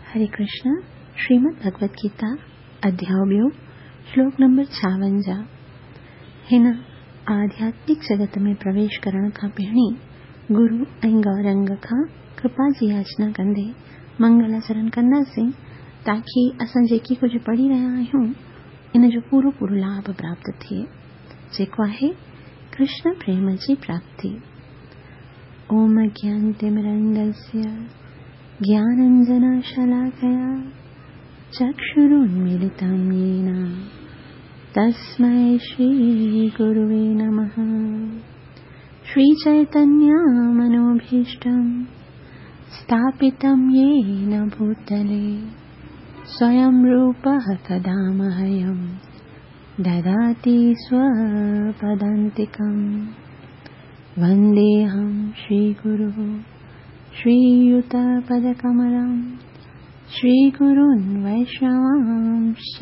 हरे कृष्ण, श्रीमद् भगवत गीता, अध्याय ॿियो, श्लोक नंबर 56। हिन आध्यात्मिक जगत में प्रवेश करण खां पहिरीं गुरु ऐं गौरंग खां कृपा जी याचना कंदे मंगलाचरण कंदासीं, ताकी असां जेकी कुझु पढ़ी रहिया आहियूं इन जो पूरो पूरो लाभ प्राप्त थिए, जेको आहे कृष्ण प्रेम जी प्राप्ति। ओम ज्ञानतिमिरन्दस्य ज्ञानञ्जनशलाकया चक्षुरुन्मीलितं येन तस्मै श्रीगुरुवे नमः। श्रीचैतन्यमनोभीष्टं स्थापितं येन भूतले स्वयं रूपः तदा मह्यं ददाति स्वपदान्तिकं। वन्देऽहं श्रीगुरुः श्रीयुतपदकमलं श्रीगुरून् वैष्णवांश्च।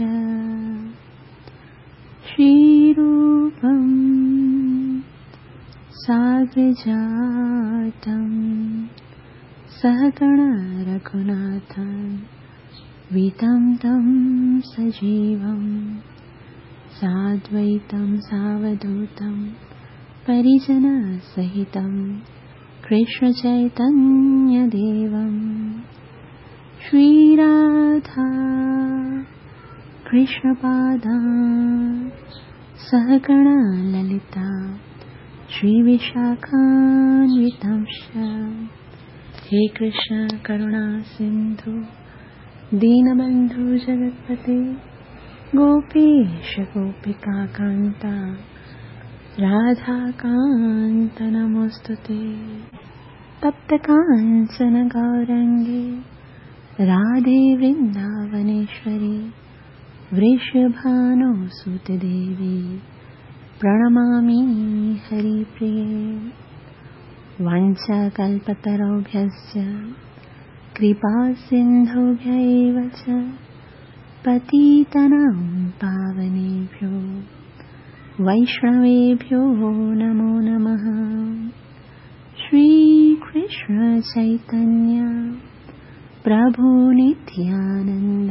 श्रीरूपं साग्रजातं सहगण रघुनाथं वितं तं सजीवं साद्वैतं सावधूतं परिजनसहितं कृष्णचैतन्यदेवं। श्रीराधा कृष्णपादा सहगण ललिता श्रीविशाखान्वितांश्च। हे कृष्ण करुणा सिन्धु दीनबन्धु जगत्पते गोपेश गोपिकान्ता राधाकान्त नमोऽस्तुते। तप्तकाञ्चन गौरङ्गे राधे वृन्दावनेश्वरी वृषभानुसुते देवी प्रणमामि हरिप्रिये। वाञ्छाकल्पतरुभ्यश्च कृपासिन्धुभ्य एव च पतितानां पावनेभ्यो वैष्णवेभ्यो नमो नमः। श्रीकृष्ण चैतन्य प्रभु नित्यानन्द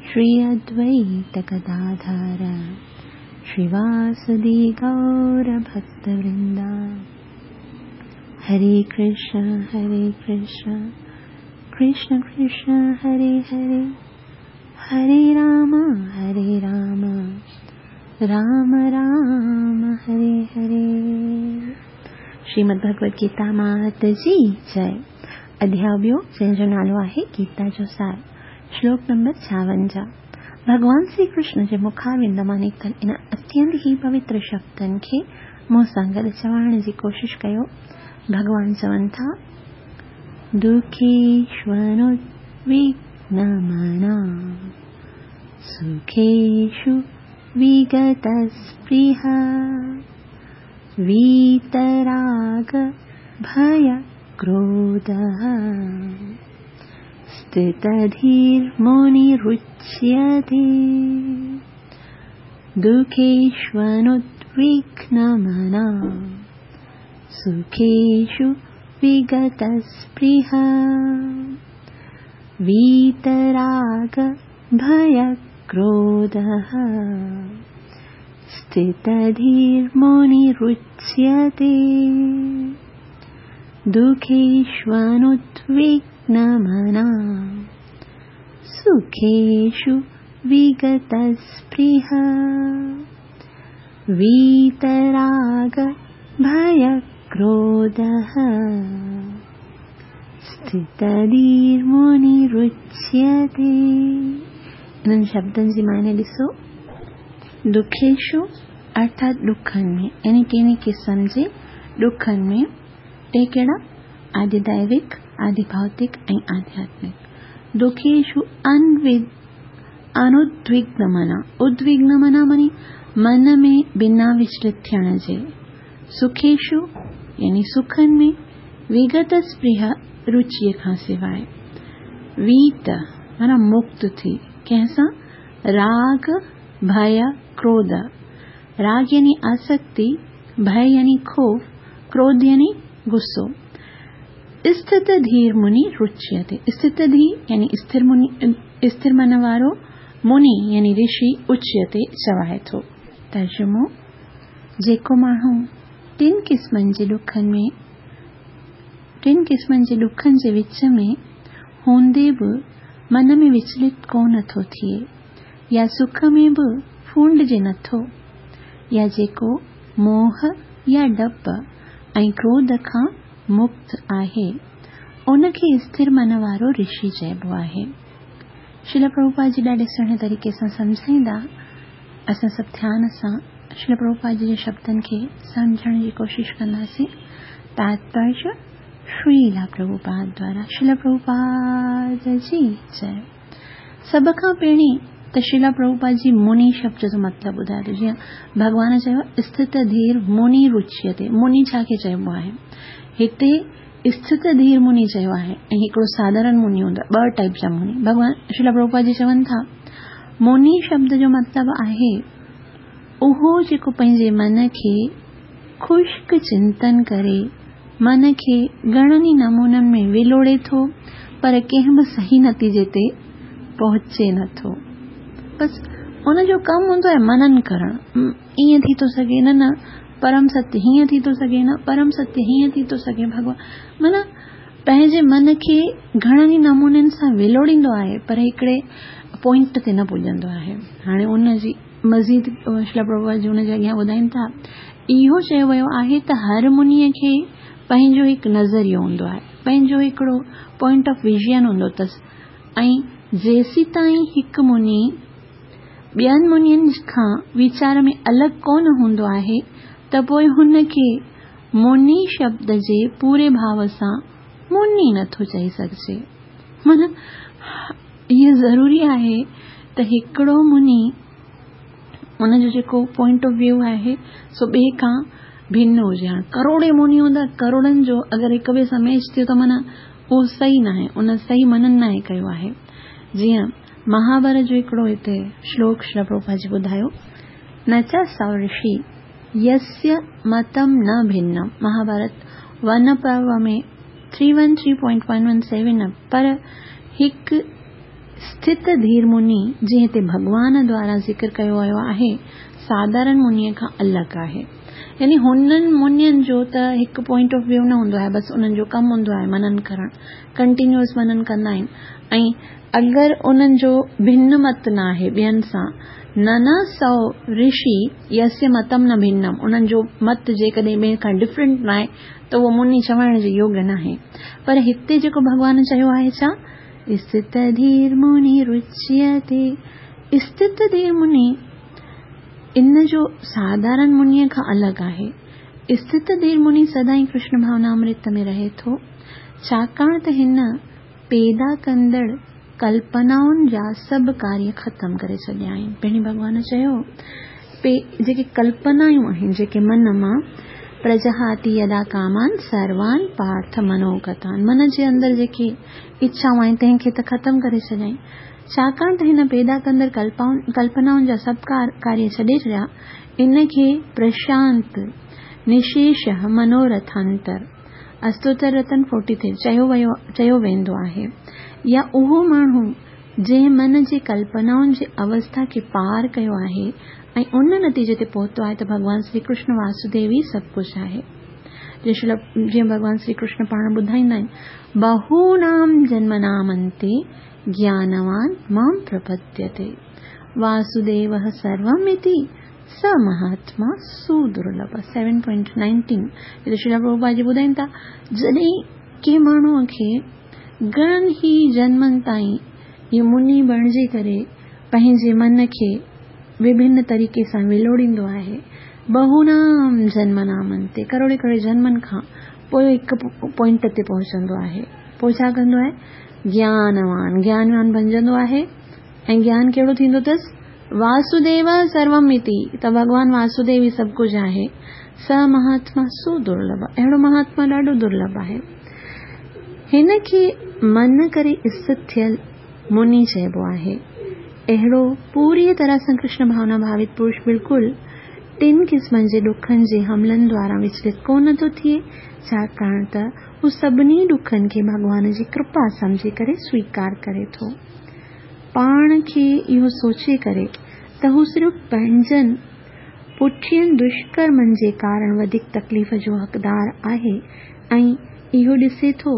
श्री अद्वैत गदाधर श्रीवासदि गौरभक्तवृन्द। हरे कृष्ण कृष्ण कृष्ण हरे हरे, हरे राम राम राम हरे हरे। श्रीमद् भगवत गीता मात जी जय। अध्याय ॿियो, जंहिंजो नालो आहे गीता जो सार, श्लोक नंबर 56। भॻवान श्री कृष्ण जे मुखारविंद मां निकितल इन अत्यंत ई पवित्र शब्दनि खे मूं सां गॾु चवण जी कोशिश कयो। भॻवान चवनि था, दुःखेष्वनुद्विग्नमना सुखेषु विगतस्पृहा वीतराग भयक्रोधः स्थितधीर्मुनिरुच्यते। दुःखेष्वनुद्विग्नमना सुखेषु विगतस्पृहा वीतराग भयक्रोधः स्थितधीर्मुनिरुच्यते। दुःखेष्वनुद्विग्नमना सुखेषु विगतस्पृहा वीतराग भयक्रोधः स्थितधीर्मुनिरुच्यते। इन्हनि शब्दनि जी माने ॾिसो, दुखेषु अर्थात ॾुखनि में, यानी कंहिं क़िस्म जे ॾुखनि में, टे कहिड़ा? आदिदैविक, आदिभौतिक ऐं आध्यात्मिक। दुखेषु अनुद्विग्नमना, उद्विग्नमना मानी मन में बिना विचलित थियण जे, सुखेषु यानी सुखनि में, विगत स्पृहा रुचिअ खां सवाइ, वीत माना मुक्त थी कंहिंसां? राग भय क्रोध। राग यानी आसक्ति, भय यानी खौफ, क्रोध यानी गुस्सो। اسٿت ڌير مني رچيتي، اسٿت ڌي يعني اسٿر مني، اسٿر من وارو، مني يعني رشي، اچيتي چوائي ٿو. ترجمو، جيڪو ماڻهو ٽن قسمن جي ڏکن ۾ ٽن قسمن جي ڏکن جي وچ ۾ هوندي به من ۾ وچلت ڪونه ٿو ٿئي يا سک ۾ به ڦونڊجي نٿو يا جيڪو موهه يا ڊپ ۽ ڪروڌ کان مڪت آهي، ان کي اسٿر من وارو رشي چئبو آهي. شريل پرڀوپاد جي ڏاڍي سهڻي طريقي سان سمجهائيندا. اسان سڀ ڌيان سان شريل پرڀوپاد جي شبدن کي سمجهڻ جي ڪوشش ڪنداسين. تاتپريه شريلا پرڀوپاد دوارا شريل پرڀوپاد جي جئي. سڀ کان پهرين ته شريلا پرڀوپاد جي مني شبد جو مطلب ٻڌايو ٿو. جيئن ڀڳوان چيو اسٿت ڌير مني رچيتي، مني ڇا کي چئبو آهي؟ هتي اسٿت ڌير مني چيو آهي ۽ هڪڙو ساڌارڻ مني هوندو آهي، ٻه ٽائيپ جا مني ڀڳوان شريلا پرڀوپاد جي چون ٿا. مني شبد جو مطلب آهي اهو جيڪو پنهنجي من کي خشڪ چنتن ڪري من کي گهڻن ئي نمونن ۾ ولوڙي ٿو پر ڪنهن به صحيح نتيجي تي پهچي نٿو. بس ان جو ڪم هوندو آهي منن ڪرڻ. ائين ٿي ٿو سگهي نه نه پرم ستيه هيئن ٿي ٿو سگهي نه پرم ستيه هيئن ٿي ٿو سگهي ڀڳوان معنيٰ پنهنجي من کي گهڻن ئي نمونن سان ولوڙيندو آهي پر هڪڙي پوائنٽ تي نه پڄندو آهي. هاڻي ان جي مزيد شريلا پرڀوپاد جي ان جي اڳيان ٻڌائين ٿا، اهو چيو ويو آهي ته هر منيء کي پنهنجو هڪ نظريو هوندو آهي، پنهنجو هڪڙو پوائنٽ آف ويزن هوندو اٿس ۽ جيسيتائين هڪ مني ٻين منين کان ويچار ۾ الڳ ڪونه هوندو آهي ته پوء هن کي مني شبد جي پوري ڀاو سان مني نٿو چئي سگهجي. معنيٰ اهو ضروري آهي ته هڪڙو مني ان جو جيڪو پوائنٽ آف ويو آهي سو ٻئي کان ڀن هجي. هاڻ ڪروڙين مني هوندا، ڪروڙن جو اگر هڪ ٻئي سان ميچ ٿيو ته معنيٰ اهو صحيح ناهي، ان صحيح منن ناهي ڪيو آهي. جيئن مهاڀارت جو هڪڙو هتي شلوڪ شريلا پرڀوپاد جي ٻڌايو، نه چ سو رشي يسيا متم نه ڀنم، مهاڀارت ون پرو ۾ three one three point one one seven پر هڪ اسٿت ڌير مني جيئن هتي ڀڳوان دوارا ذڪر ڪيو ويو آهي ساڌارڻ منيء کان الڳ آهي. يعني هنن منين جو ته هڪ پوائنٽ آف ويو نه هوندو آهي بس انهن جو ڪم هوندو آهي منن ڪرڻ ڪنٽينيوس منن ڪندا آهن ۽ اگر انهن جو ڀن مت نه آهي ٻين سان نه نه سو رشي يسيا متم نه ڀنم انهن جو مت جيڪڏهن ٻين کان ڊفرنٽ نه آهي ته اهو مني چوائڻ جي يوگيه ناهي. پر هتي جيڪو ڀڳوان چيو آهي ڇا؟ اسٿت ڌير مني رچيتي. اسٿت ڌير مني ان جو ساڌارڻ منيء کان الڳ آهي. اسٿت ڌير مني سدائين ڪرشن ڀاونا امرت ۾ رهي ٿو، ڇاڪاڻ ته هن پيدا ڪندڙ ڪلپنائن جا سڀ ڪاريه ختم ڪري ڇڏيا آهن. پهرين ڀڳوان چيو، پي جيڪي ڪلپنايون آهن، جيڪي من مان پرجهاتي يدا ڪامان سروان پارٿ منوگتان، من جي اندر جيڪي اڇائون آهن، تنهن کي ته ختم ڪري ڇڏيائين. ڇاڪاڻ ته هن پيدا ڪندڙ ڪلپنائن جا سڀ ڪاريه ڇڏي ڇڏيا، ان کي پرشانت نشيشه منورٿانتر، استوتر رتن فورٽي ٿري، چيو ويو چيو ويندو آهي يا اهو ماڻهو جنهن من جي ڪلپنائن جي اوسٿا کي پار ڪيو آهي ۽ ان نتيجي تي پهتو آهي ته ڀڳوان سري ڪرشن واسوديو ئي سڀ ڪجهه آهي. جيئن ڀڳوان سري ڪرشن پاڻ ٻڌائيندا آهن، بهونام جنمنام انتي گيانوان مام پرپديتي واسوديوه سروم اتي س مهاتما سودرلڀ. سيون پوائنٽ نائنٽين هتي شريلا پرڀوپاد جي ٻڌائين ٿا جڏهن ڪنهن ماڻهوء کي گهڻن ئي جنمن تائين اهو مني بڻجي ڪري پنهنجي من کي وڀن طريقي سان ولوڙيندو آهي، بهونام جنمنام انتي ڪروڙين ڪروڙين جنمن کان پوء هڪ پوائنٽ تي پهچندو آهي، پوء ڇا ڪندو آهي؟ گيانوان، گيانوان بنجندو آهي ۽ گيان ڪهڙو ٿيندو اٿس؟ واسوديو سروم اتي، ته ڀڳوان واسوديو ئي سڀ ڪجهه آهي. س مهاتما سودرلڀ، اهڙو مهاتما ڏاڍو درلڀ آهي. هن کي من ڪري اسٿت ٿيل مني چئبو آهي. اهڙو پوريء طرح سان ڪرشن ڀاونا ڀاوت پرش بلڪل ٽن قسمن جي ڏکن جي حملن دواران وچلت ڪونه ٿو ٿئي، ڇاڪاڻ ته هو سڀني ڏکن کي ڀڳوان جي ڪرپا سمجهي ڪري سويڪار ڪري ٿو. پاڻ کي اهو سوچي ڪري ته هو صرف پنهنجن پٺين دشڪرمن جي ڪارڻ وڌيڪ تڪليف جو حقدار آهي ۽ اهو ڏسي ٿو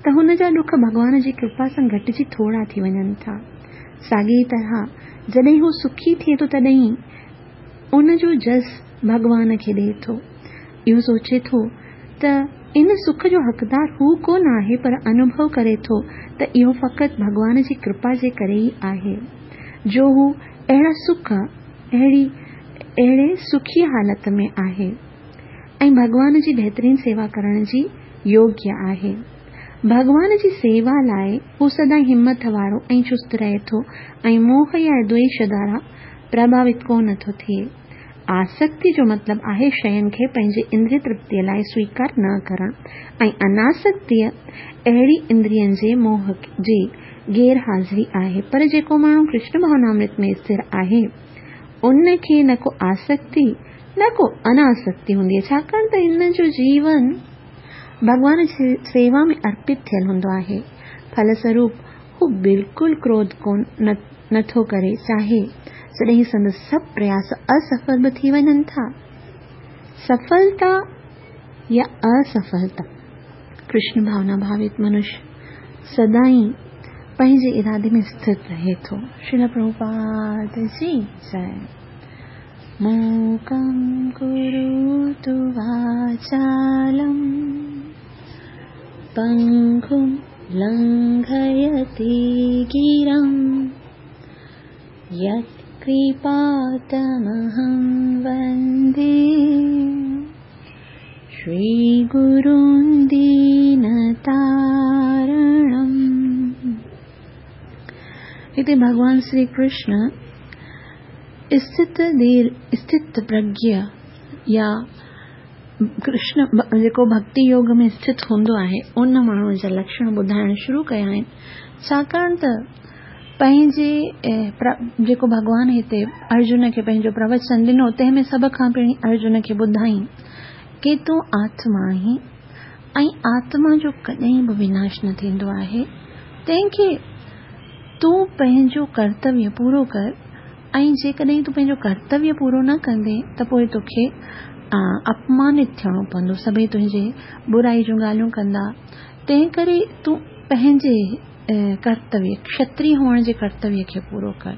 ته هن جا ڏک ڀڳوان جي ڪرپا سان گهٽجي ٿورا ٿي وڃن ٿا. ساڳيء طرح جڏهن هو سکي ٿئي ٿو تڏهن ان جو جس ڀڳوان کي ڏئي ٿو. اهو سوچي ٿو ته ان سک جو حقدار هو ڪو نه آهي پر انوڀو ڪري ٿو ته اهو فقط ڀڳوان جي ڪرپا جي ڪري ئي آهي جو هو اهڙا سک اهڙي اهڙي سکي حالت ۾ آهي ۽ ڀڳوان جي بهترين سيوا ڪرڻ جي يوگيه آهي. ڀڳوان جي سيوا لاء هو سدائين همٿ وارو ۽ چست رهي ٿو ۽ موهه يا دويش دوارا پرڀاوت ڪو نه ٿو ٿئي. آسڪتي جو مطلب آهي شين کي پنهنجي اندري ترپتيء لاء سويڪار نه ڪرڻ ۽ اناسڪتيء اهڙي اندرين جي موهه جي غير حاضري آهي. پر جيڪو ماڻهو ڪرشن ڀاونامرت ۾ اسٿر آهي، ان کي نه ڪو آسڪتي نه ڪو اناسڪتي هوندي آهي، ڇاڪاڻ ته هن جو جيون ڀڳوان جي سيوا ۾ ارپت ٿيل هوندو آهي. ڦلسروپ هو بلڪل ڪروڌ ڪونه نه ٿو ڪري، چاهي جڏهن سندس سڀ پرياس اسڦل به ٿي وڃن ٿا. سڦلتا يا اسڦلتا، ڪرشن ڀاونا ڀاوت منش سدائين پنهنجي ارادي ۾ اسٿر رهي ٿو. شريل پرڀوپاد جي جئي. موڪم ڪروتو واچالم پنگم لنگهيتي گرم يتڪرپا تمهم وندي شري گرون دينتارڻم. هتي ڀڳوان شري ڪرشن اسٿت ڌير اسٿت پرگيا يا ڪرشن جيڪو ڀڳتي يوگ ۾ اسٿت هوندو آهي، ان ماڻهوء جا لڪشڻ ٻڌائڻ شروع ڪيا آهن، ڇاڪاڻ ته پنهنجي جيڪو ڀڳوان هتي ارجن کي پنهنجو پروچن ڏنو، تنهن ۾ سڀ کان پهرين ارجن کي ٻڌائين ڪي تون آتما آهين ۽ آتما جو ڪڏهن به وناش نه ٿيندو آهي، تنهن کي تون پنهنجو ڪرتويه پورو ڪر ۽ جيڪڏهن تون پنهنجو ڪرتويه پورو نه ڪندين ته پوء توکي اپمانت ٿيڻو پوندو، سڀئي تنهنجي برائي جون ڳالهيون ڪندا، تنهنڪري تون پنهنجي ڪرتويه، کشتري هئڻ جي ڪرتويه کي پورو ڪر.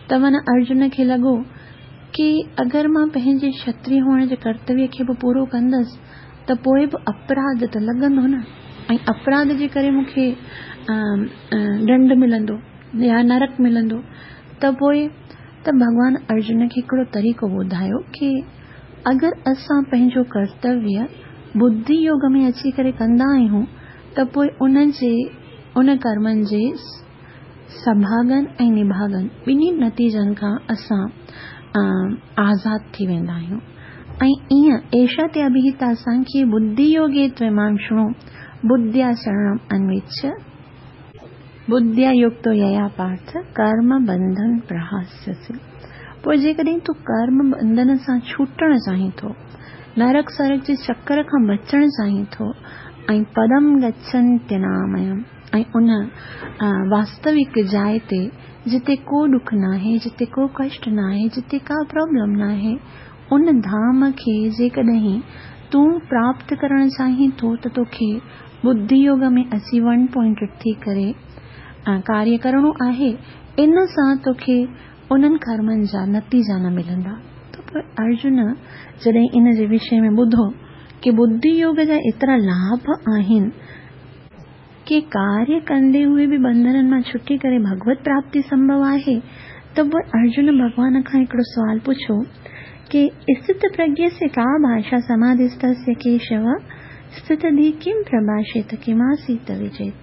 ته من ارجن کي لڳو ڪي اگر مان پنهنجي کشتري هئڻ جي ڪرتويه کي به پورو ڪندس ته پوء به اپراڌ ته لڳندو نه ۽ اپراڌ جي ڪري مون کي ڏنڊ ملندو يا نرڪ ملندو ته پوء ته ڀڳوان ارجن کي هڪڙو طريقو ٻڌايو ڪي اگر اسان پنهنجو ڪرتويه ٻڌي يوگ ۾ اچي ڪري ڪندا آهيون ته پوء ان جي ان ڪرمن جي سڀاڳن ۽ نڀاڳن ٻنهي نتيجن کان اسان آزاد ٿي ويندا آهيون ۽ ائين ايشا تي اڀيهتا سانکيه ٻڌي يوگي تمام شڻو ٻڌيا شرڻم انويڇ ٻڌيا يڪتو ييا پارٿ ڪرم بنڌن پرهاسيسي. پوء جيڪڏهن تون ڪرم بنڌن سان ڇوٽڻ چاهين ٿو، نرڪ سرڪ جي چڪر کان بچڻ چاهين ٿو ۽ پدم گڇنتيناميم ۽ ان واستوڪ جاء تي جتي ڪو ڏک ناهي، جتي ڪو ڪشٽ ناهي، جتي ڪا پرابلم ناهي، ان ڌام کي جيڪڏهن تون پراپت ڪرڻ چاهين ٿو ته توکي ٻڌي يوگ ۾ اچي ون پوائنٽيڊ ٿي ڪري ڪاريه ڪرڻو آهي، ان سان توکي انهن ڪرمن جا نتيجا نه ملندا. ته پوء ارجن جڏهن ان جي وشي ۾ ٻڌو ڪي ٻڌي يوگ جا ايترا لاڀ آهن، ڪي ڪاريه ڪندي هوئي به بنڌنن مان ڇٽي ڪري ڀڳوت پراپتي سنڀو آهي ته پوء ارجن ڀڳوان کان هڪڙو سوال پڇيو ڪي اسٿت پرگيسيه ڪا ڀاشا سماڌيستسيه ڪيشو اسٿت ڌي ڪم پرڀاشيت ڪماسيت وجيت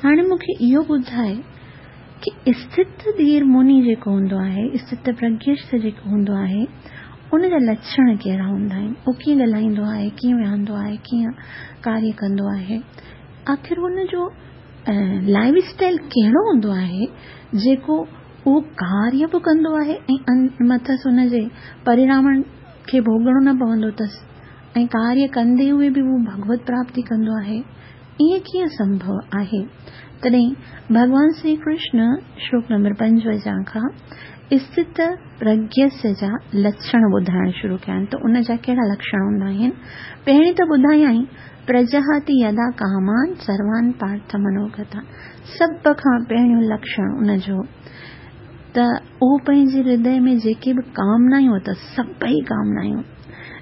هاڻي مون کي اهو ٻڌاء ڪي اسٿت ڌير مني جيڪو هوندو آهي اسٿت پرگيست جيڪو هوندو آهي ان جا لڇڻ ڪهڙا هوندا آهن؟ هو ڪيئن ڳالهائيندو آهي، ڪيئن ويهندو آهي، ڪيئن ڪاريه ڪندو آهي؟ آخر هن جو لائيف اسٽائيل ڪهڙو هوندو آهي جيڪو اهو ڪاريه به ڪندو آهي ۽ مٿس ان جي پرڻامن کي ڀوڳڻو نه پوندو اٿس ۽ ڪاريه ڪندي هوئي به هو ڀڳوت پراپتي ڪندو آهي. ائين ڪيئن سنڀو آهي؟ تڏهن ڀڳوان شري ڪرشن شلوڪ نمبر 55 کان اسٿت پرگيس جا لڇڻ ٻڌائڻ شروع ڪيا آهن ته ان جا ڪهڙا لڪشڻ هوندا آهن. پهرين ته ٻڌايائين پرجهاتي يدا ڪامان سروان پارٿ منوگتان سڀ کان پهريون لڪشڻ ان جو ته اهو پنهنجي هردي ۾ جيڪي به ڪامنايون اٿس سڀئي ڪامنايون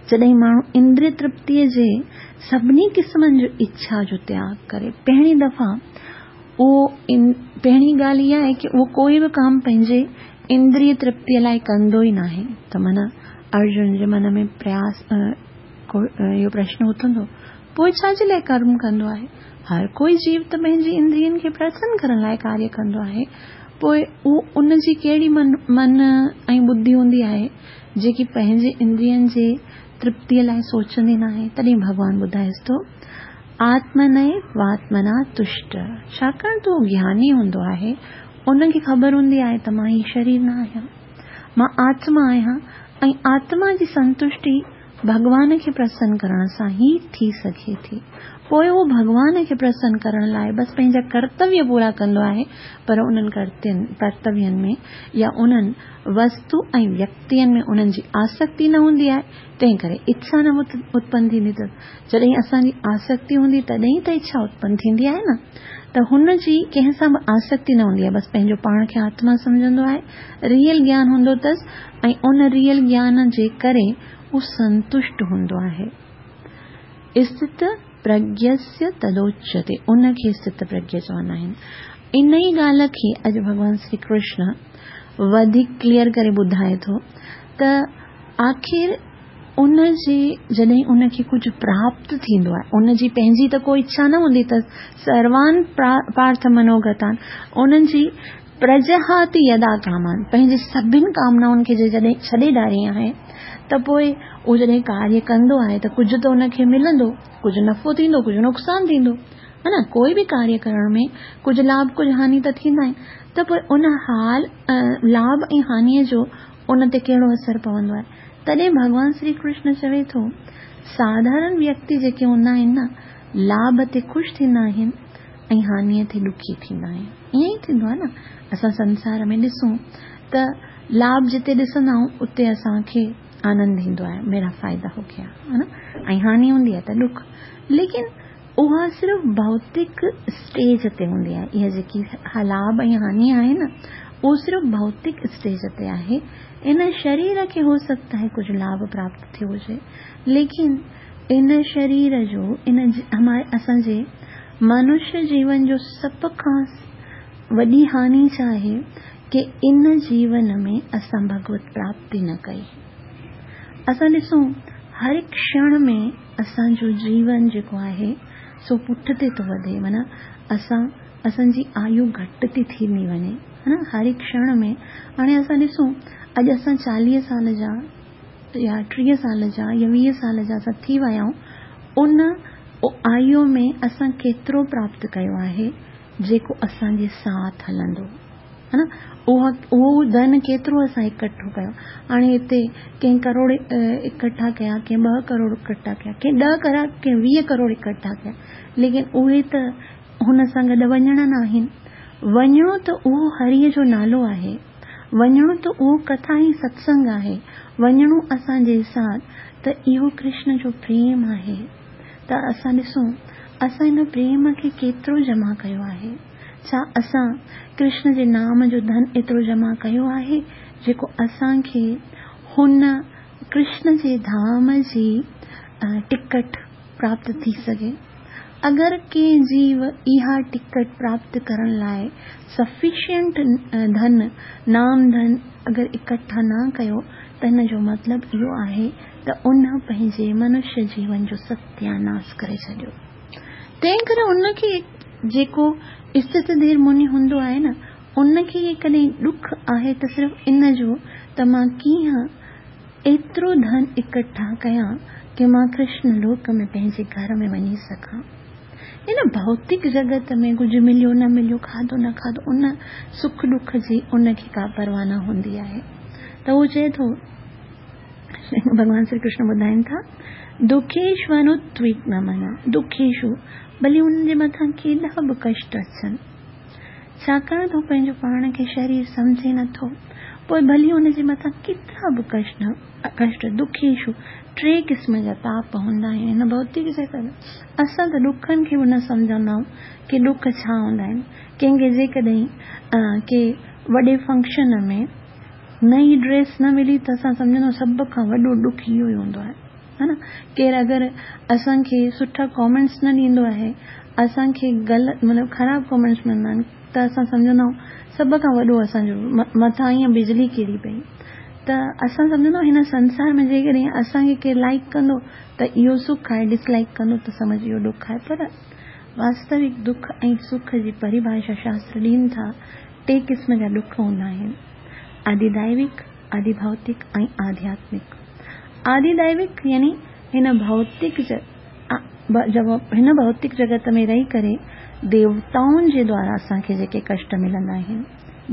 جڏهن ماڻهو اندري ترپتيء جي سڀني قسمن جو اڇا جو تياڳ ڪري پهرين دفعا اهو پهرين ڳالهه اها آهي ڪي اهو ڪوئي به ڪم پنهنجي اندري ترپتيء لاء ڪندو ئي ناهي ته معنيٰ ارجن جي من ۾ پرياس اهو پرشن اٿندو پوء ڇا جي لاء ڪرم ڪندو آهي؟ هر ڪوئي جيو ته پنهنجي اندرين کي پرسن ڪرڻ لاء ڪاريه ڪندو آهي پوء اهو ان جي ڪهڙي من من ۽ ٻڌي هوندي آهي جيڪي پنهنجي اندرين جي ترپتيء لاء سوچندي ناهي تڏهن ڀڳوان ٻڌائيس ٿو آتمنيواتمنا تشٽ ڇاڪاڻ ته اهو گياني هوندو آهي ان کي خبر هوندي آهي ته مان هي شرير نه آهيان مان آتما آهيان ۽ آتما جي سنتشٽي ڀڳوان کي پرسن ڪرڻ سان ئي ٿي سگهي ٿي. پوء هو ڀڳوان کي پرسن ڪرڻ لاء بس پنهنجا ڪرتويه پورا ڪندو آهي پر انهن ڪرتوين ۾ يا انهن وستو ۽ ويڪتين ۾ انهن جي آسڪتي نه هوندي آهي تنهن ڪري اڇا نه اتپن ٿيندي اٿس. جڏهن اسان جي آسڪتي هوندي تڏهن ئي ته اڇا اتپن ٿيندي آهي نه ته هن جي ڪنهن سان به آسڪتي نه هوندي آهي بس پنهنجو پاڻ کي آتما سمجهندو آهي ريئل گيان هوندو اٿس ۽ ان ريئل گيان جي ڪري هو سنتشٽ هوندو آهي. استت پرگيسيه تدوچيتي ان کي استت پرگيه چوندا آهن. ان ئي ڳالهه کي اڄ ڀڳوان شري ڪرشن وڌيڪ ڪليئر ڪري ٻڌائي ٿو ته آخر ان جي جڏهن ان کي ڪجهه پراپت ٿيندو آهي ان جي پنهنجي ته ڪو اڇا نه هوندي اٿس سروان پارٿ منوگتان انهن جي پرجهاتي يدا ڪامان پنهنجي سڀن ڪامنائن کي جڏهن ڇڏي ڏاري آهي ته پوء اهو جڏهن ڪاريه ڪندو آهي ته ڪجهه ته ان کي ملندو ڪجهه نفعو ٿيندو ڪجهه نقصان ٿيندو ها نه ڪوئي به ڪاريه ڪرڻ ۾ ڪجهه لاڀ ڪجهه هاني ته ٿيندا آهن ته پوء ان حال لاڀ ۽ هانيء جو ان تي ڪهڙو اثر پوندو آهي تڏهن ڀڳوان شري ڪرشن چوي ٿو، ساڌارڻ ويڪتي جيڪي هوندا آهن نه، لاڀ تي خوش ٿيندا آهن ۽ هانيء تي ڏکي ٿيندا آهن. ائين ئي ٿيندو آهي نه، اسان سنسار ۾ ڏسون ته لاڀ جتي ڏسندا آهيون اتي اسان کي آنند ايندو آهي، ميرا فائدا هو گيا ها نه، ۽ هاني هوندي آهي ته ڏک. ليڪن اها صرف ڀوتڪ اسٽيج تي هوندي آهي. اها جيڪي لاڀ ۽ هاني آهي نه، اهو صرف ڀوتڪ اسٽيج تي آهي. ان شرير کي هو سگهتا آهي ڪجهه لاڀ پراپت ٿيو هجي، ليڪن ان شرير جو ان اسان جي منشيه جيون جو سڀ کان وڏي هاني ڇا آهي ڪي ان جيون ۾ اسان ڀڳوت پراپتي نه ڪئي. اسان ڏسون هر هڪ ڪشڻ ۾ اسان جو جيون جيڪو آهي سو پٺتي ٿو وڌي معنيٰ اسان اسان جي آيو گهٽ ٿي ٿيندي وڃي ها نه هر هڪ ڪشڻ ۾ هاڻي اسان ڏسون اڄ اسان چاليهه سال جا يا ٽيهه سال جا يا ويهه سال جا اسان ٿي ويا آهيون ان آيو ۾ اسان ڪيترو پراپت ڪيو آهي جيڪو اسان جي ساٿ هلندو ها نه اها اهو ڌن ڪيترو اسان اڪٺو ڪيو هاڻي هتي ڪنهن ڪروڙ اڪٺا ڪيا ڪنهن ٻه ڪروڙ اڪٺا ڪيا ڪنهن ڏهه ڪروڙ ڪنهن ويهه ڪروڙ اڪٺا ڪيا ليڪن اهي ته هن سان گڏ وڃڻا ناهن وڃڻو ته اهو هريء جو نالو آهي وڃڻو ته اهو ڪٿا ۽ ستسنگ آهي وڃڻو اسان جي ساٿ ته اهو ڪرشن جو پريم آهي ته اسان ڏسون اسان ان پريم کي ڪيترو جمع ڪيو آهي؟ ڇا اسان ڪرشن جي نام جو ڌن ايترو جمع ڪيو آهي جيڪو اسان کي هن ڪرشن جي ڌام جي ٽڪٽ پراپت ٿي سگهي؟ اگر ڪنهن جيو اها ٽڪٽ پراپت ڪرڻ لاء سفيشنٽ ڌن، نام ڌن، اگر اڪٺا نه ڪيو ته هن جو مطلب اهو آهي ته ان پنهنجي منشيه جيون جو ستياناس ڪري ڇڏيو. تنهن ڪري ان کي جيڪو استت ڌير مني هوندو آهي نه، ان کي جيڪڏهن ڏک آهي ته صرف ان جو ته مان ڪيئن ايترو ڌن اڪٺا ڪيان ڪي مان ڪرشن لوڪ ۾ پنهنجي گهر ۾ وڃي سگهان. هن ڀوتڪ جڳت ۾ ڪجهه مليو نه مليو، کاڌو نه کاڌو، ان سک ڏک جي ان کي ڪا پرواهه نه هوندي آهي. ته هو چئي ٿو، ڀڳوان شري ڪرشن ٻڌائين ٿا، دکيشوانودويگن منا، دکيشو، ڀلي انهن جي مٿان ڪيڏا به ڪشٽ اچن، ڇاڪاڻ ته هو پنهنجو پاڻ کي شرير سمجهي نٿو، پوء ڀلي ان جي مٿان ڪيترا به ڪشٽ، دکيشو، ٽي قسم جا تاپ هوندا آهن هن ڀوتڪ جڳت ۾. اسان ته ڏکن کي به نه سمجهندا آهيون ڪي ڏک ڇا هوندا آهن. ڪنهن کي جيڪڏهن ڪي وڏي فنڪشن ۾ نئين ڊريس نه ملي ته اسان سمجهندا آهيون سڀ کان وڏو ڏک اهو ئي هوندو آهي. ها نه ڪير اگر اسان کي سٺا ڪامينٽس نه ڏيندو آهي، اسان کي غلط مطلب خراب ڪامينٽس ملندا آهن ته اسان سمجهندا آهيون سڀ کان وڏو اسان جو مٿان ائين بجلي ڪري پئي ته اسان سمجهندا آهيون هن سنسار ۾ جيڪڏهن اسان کي ڪير لائيڪ ڪندو ته اهو سک آهي ڊس لائيڪ ڪندو ته سمجهه اهو ڏک آهي پر واستوڪ دک ۽ سک جي پريڀاشا شاستر ڏين ٿا ٽي قسم جا ڏک هوندا آهن آدي دائوڪ، آدي ڀوتڪ ۽ آڌياتمڪ. آدي دائوڪ يعني هن ڀوتڪ هن ڀوتڪ جڳت ۾ رهي ڪري ديوتائن جي دوارا اسان کي جيڪي ڪشٽ ملندا آهن،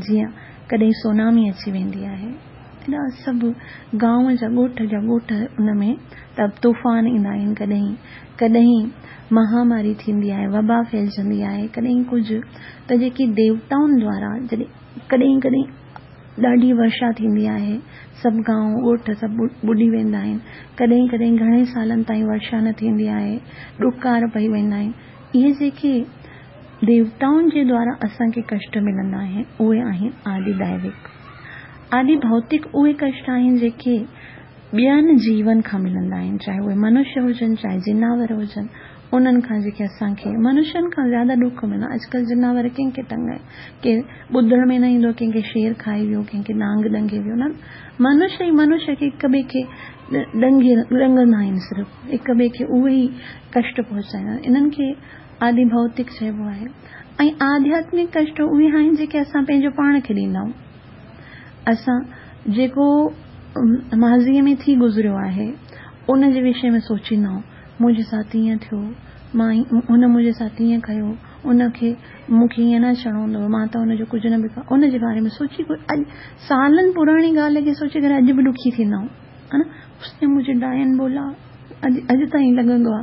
جيئن ڪڏهن سونامي اچي ويندي آهي، ايڏا سڀ گانو جا ڳوٺ جا ڳوٺ ان ۾ ته طوفان ايندا آهن ڪڏهن ڪڏهن مهاماري ٿيندي آهي، وبا ڦهلجندي آهي، ڪڏهن ڪجهه ته جيڪي ديوتائن دوارا جڏهن ڪڏهن ڪڏهن ڏاڍي ورشا ٿيندي آهي، سڀ گانو ڳوٺ سڀ ٻڏي ويندا آهن، ڪڏهن ڪڏهن گهڻي سالن تائين ورشا نه ٿيندي آهي، ڏڪار پئي ويندا آهن. اهي جيڪي ديوتائن جي دوارا اسان کي ڪشٽ ملندا آهن، اهي آهن آدي دائوڪ. آدي ڀوتڪ اهي ڪشٽ آهن جيڪي ٻين جيون کان ملندا آهن، چاهي اهي منشيه هجن، چاهي جناور هجن، انهن کان جيڪي اسان کي منشين کان زياده ڏک ملندو آهي. اڄڪلهه جناور ڪنهن کي تنگ آهن، ڪي ٻڌڻ ۾ نه ايندو ڪنهن کي شير کائي ويو، ڪنهن کي نانگ ڏنگي ويو، نه منشيه ئي منشيه کي هڪ ٻئي کي ڏنگي ڏنگندا آهن، صرف هڪ ٻئي کي اهي ئي ڪشٽ پهچائيندا آهن، انهن کي آدي ڀوتڪ چئبو آهي. ۽ آڌياتمڪ ڪشٽ اهي آهن جيڪي اسان پنهنجو پاڻ کي ڏيندا آهيون. اسان جيڪو ماضيء ۾ ٿي گذريو آهي، ان جي وشي ۾ سوچيندا آهيون، منهنجي ساٿ ائين ٿيو، مان هن منهنجي ساٿ ائين ڪيو، ان کي مون کي ائين نه اچڻو هوندو هو، مان ته ان جو ڪجهه نه به ان جي باري ۾ سوچي اڄ سالن پراڻي ڳالهه کي سوچي ڪري اڄ به ڏکي ٿيندا آهيون. ها نه اس ني مجهي ڊائن بولا اڄ اڄ تائين لڳندو آ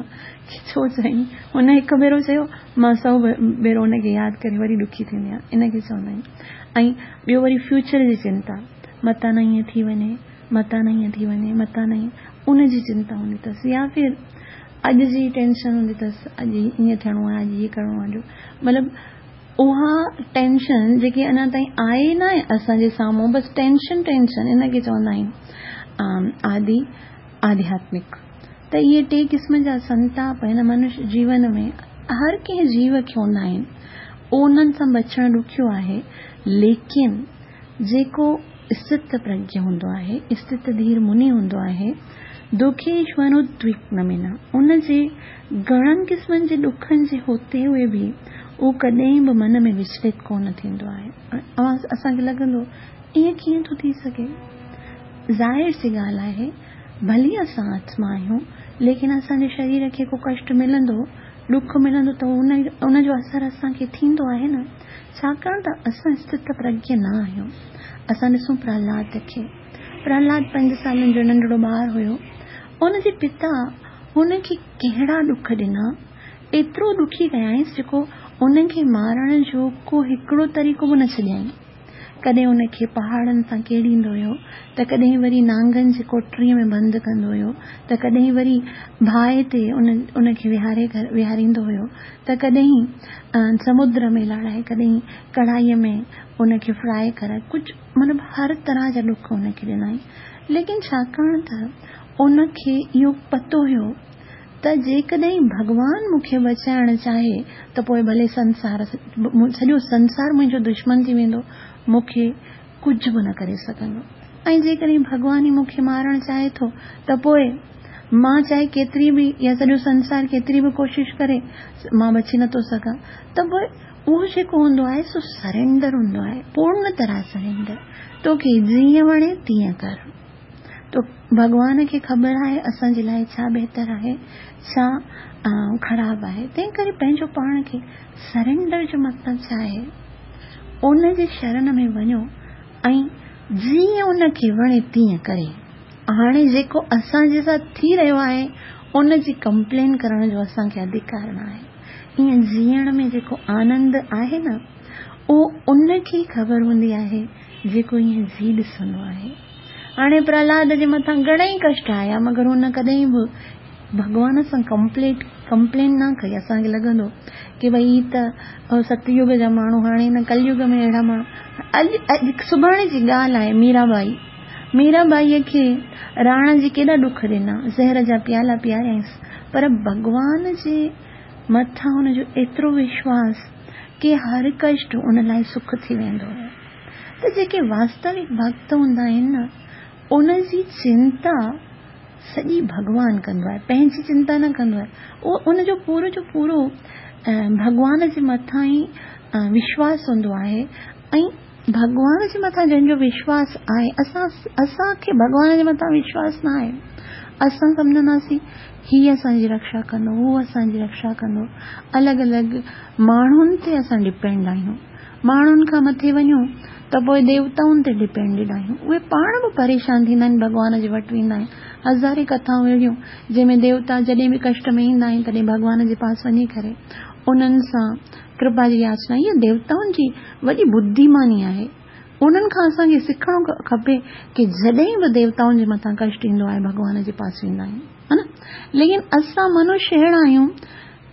ڪي ڇو چيائين هن هڪ ڀيرو چيو مان سئو ڀيرو ان کي ياد ڪري وري ڏکي ٿيندي آهيان ان کي چوندا آهن ۽ ٻيو وري فيوچر جي چنتا متان نه ائين ٿي وڃي متان نه ائين ٿي وڃي متان نه ائين ان جي چنتا هوندي اٿس يا ڦر اڄ جي ٽينشن هوندي اٿس اڄ ائين ٿيڻو آهي اڄ هي ڪرڻو آهي مطلب اها ٽينشن جيڪي اڃا تائين آئي ناهي اسان جي سامهون بس ٽينشن ٽينشن ان کي چوندا آهن آدي آڌياتمڪ ته اهي ٽي قسم جا سنتاپ هن منش جيون ۾ هر ڪنهن جيو کي هوندا آهن انهن سان بچڻ ڏکيو آهي ليڪن جيڪو استت پرگيه هوندو آهي، استت ڌير مني هوندو آهي، دکيشوانودويگنمينا، ان جي گهڻن قسمن جي ڏکن جي هوتي هوئي به اهو ڪڏهن به من ۾ وچلت ڪونه ٿيندو آهي. اوهان اسان کي لڳندو ائين ڪيئن ٿو ٿي سگهي؟ ظاهر سي ڳالهه آهي ڀلي اسان آتما آهيون ليڪن اسان جي شرير کي ڪو ڪشٽ ملندو، ڏک ملندو ته ان جو اثر اسان کي ٿيندو آهي نه. ڇاڪاڻ ته اسان استت پرگيه نه آهيون. اسان ڏسون پرهلاد کي. پرهلاد پنج سالن جو ننڍڙو ٻار هيو. ان جي پتا هن کي ڪهڙا ڏک ڏنا، ايترو ڏکي ڪيائينس جيڪو ان کي مارڻ جو ڪو هڪڙو طريقو به نه ڇڏيائين. ڪڏهن ان کي پهاڙن سان ڪيڙيندو هيو ته ڪڏهن وري نانگن جي ڪوٺڙيء ۾ بند ڪندو هيو ته ڪڏهن وري باهه تي ان کي ويهاري ويهاريندو هيو ته ڪڏهن سمنڊ ۾ لاڙائي ڪڏهن ڪڙهائيء ۾ ان کي فرائي ڪرائي ڪجهه مطلب هر طرح جا ڏک ان کي ڏنائين ليڪن ڇاڪاڻ ته ان کي اهو پتو هيو ته جيڪڏهن ڀڳوان مون کي بچائڻ چاهي ته پوء ڀلي سنسار سڄو سنسار منهنجو دشمن ٿي ويندو، مون کي ڪجهه به نه ڪري سگهندو ۽ جيڪڏهن ڀڳوان ئي مون کي مارڻ چاهي ٿو ته پوء مان چاهي ڪيتري به يا سڄو سنسار ڪيتري به ڪوشش ڪري مان بچي نٿو سگهان ته پوء اهو جيڪو هوندو آهي سو سرينڊر هوندو آهي، پورن طرح سرينڊر، توکي جيئن وڻي تيئن ڪر. ته ڀڳوان کي خبر آهي اسان جي لاء ڇا بهتر آهي، ڇا خراب آهي. تنهن ڪري پنهنجو پاڻ کي سرينڊر جو مطلب ڇا آهي؟ ان جي شرن ۾ وڃو ۽ جيئن ان کي وڻي تيئن ڪري. هاڻي جيڪو اسان جي ساٿ ٿي رهيو آهي ان جي ڪمپلين ڪرڻ جو اسان کي اڌڪار نه آهي. ائين جيئڻ ۾ جيڪو آنند آهي نه اهو ان کي ئي خبر هوندي آهي جيڪو ائين جي ڏسندو آهي. هاڻي پرهلاد جي مٿان گهڻئي ڪشٽ آيا مگر هن ڪڏهن به ڀڳوان سان ڪمپليٽ ڪمپلين نه ڪئي. اسان کي لڳندو ڪي ڀئي هي ته ستيوگ جا ماڻهو هاڻي هن ڪليوگ ۾ اهڙا ماڻهو اڄ اڄ سڀاڻي جي ڳالهه آهي ميرا ٻائي ميرا ٻائيء کي راڻا جي ڪيڏا ڏک ڏنا، زهر جا پيالا پياريائينس، پر ڀڳوان جي مٿان هن جو ايترو وشواس ڪي هر ڪشٽ ان لاء سک ٿي ويندو هو. ته جيڪي واستوڪ ڀڳت هوندا آهن نه، ان جي چنتا سڄي ڀڳوان ڪندو آهي، پنهنجي چنتا نه ڪندو آهي. اهو ان جو پورو جو پورو ڀڳوان جي مٿان ئي وشواس هوندو آهي ۽ ڀڳوان جي مٿان جنهن جو وشواس آهي، اسان اسان کي ڀڳوان جي مٿان وشواس نه آهي. اسان سمجهنداسين هي اسان جي رڪشا ڪندو، هو اسان جي رڪشا ڪندو. الڳ الڳ ماڻهن تي اسان ڊپينڊ آهيون. ماڻهن کان مٿي وڃون ته پوء ديوتائن تي ڊپينڊيڊ آهيون. اهي پاڻ به پريشان ٿيندا آهن، ڀڳوان جي وٽ ويندا آهن. هزارين ڪٿائون اهڙيون جنهن ۾ ديوتا جڏهن به ڪشٽ ۾ ايندا آهن تڏهن ڀڳوان جي پاس وڃي ڪري انهن سان ڪرپا جي ياچنا. اها ديوتائن جي وڏي ٻڌيماني آهي. انهن کان اسان کي سکڻو کپي ڪي جڏهن به ديوتائن جي مٿان ڪشٽ ايندو آهي ڀڳوان جي پاس ويندا آهيون ها نه. ليڪن اسان منش اهڙا آهيون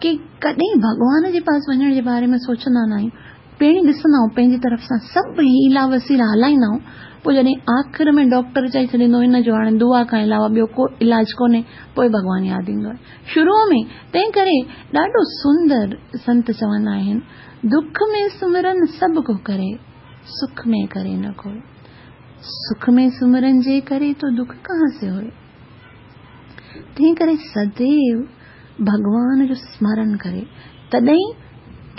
ڪي ڪڏهن ڀڳوان جي پاس وڃڻ جي باري ۾ سوچندا نه آهيون. پهرين ڏسندا آهيون پنهنجي طرف سان سڀ حيلا وسيلا هلائيندا آهيون پوء جڏهن آخر ۾ ڊاڪٽر چئي ڇڏيندو هن جو هاڻي دعا کان علاوه ٻيو ڪو علاج ڪونهي پوء ڀڳوان ياد ايندو آهي. شروع ۾ تنهن ڪري ڏاڍو سندر سنت چوندا آهن دک ۾ سمرن سڀ ڪو ڪري، سک ۾ ڪري نه ڪوئي. سک ۾ سمرن جي ڪري تو دک ڪهان سي هوئي. تنهن ڪري سديو ڀڳوان جو سمرن ڪري تڏهن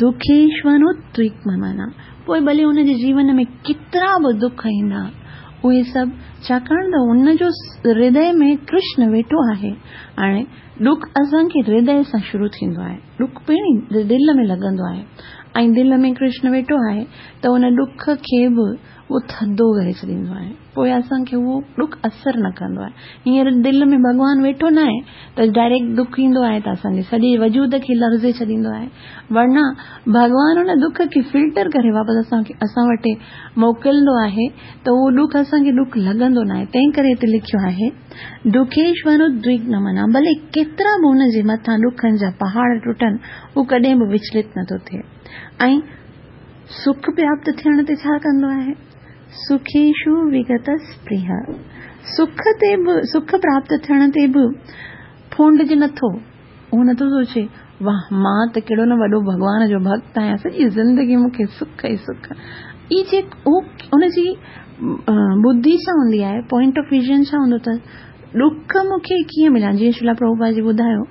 دکيشونوتويڪمنا پوء ڀلي ان جي جيون ۾ ڪيترا به دک ايندا اهي سڀ ڇاڪاڻ ته ان جو هردي ۾ ڪرشن ويٺو آهي. هاڻي ڏک اسان کي هردي سان شروع ٿيندو آهي. ڏک پهرين دل ۾ لڳندو آهي ۽ دل ۾ ڪرشن ويٺو آهي ته ان ڏک کي به اهو ٿڌو ڪري ڇڏيندو آهي. پوء اسان کي اهو ڏک اثر نه ڪندو آهي. هينئر دل ۾ ڀڳوان ويٺو ناهي ته ڊائريڪٽ ڏک ايندو آهي ته اسان جي سڄي وجود کي لرزي ڇڏيندو آهي. ورنه ڀڳوان ان ڏک کي فلٽر ڪري واپس اسان کي اسان وٽ موڪلندو آهي ته اهو ڏک اسان کي ڏک لڳندو ناهي. تنهن ڪري هتي لکيو آهي دکيشونودويگنمنا ڀلي ڪيترا به ان جي مٿان ڏکن جا پهاڙ ٽٽن هو ڪڏهن به وچلت نٿو ٿئي ۽ سک پراپت ٿيڻ تي ڇا ڪندو آهي؟ سکيشو وگت اسپرهه سک تي به سک پراپت ٿيڻ تي به ڦونڊجي نٿو. هو نٿو سوچي واه مان ته ڪهڙو نه وڏو ڀڳوان جو ڀڳت آهيان سڄي زندگي مون کي سک ئي سک. هي جيڪو ان جي ٻڌي ڇا هوندي آهي پوائنٽ آف ويزن ڇا هوندو اٿس ڏک مون کي ڪيئن مليا جيئن شريلا پرڀوپاد جي ٻڌايو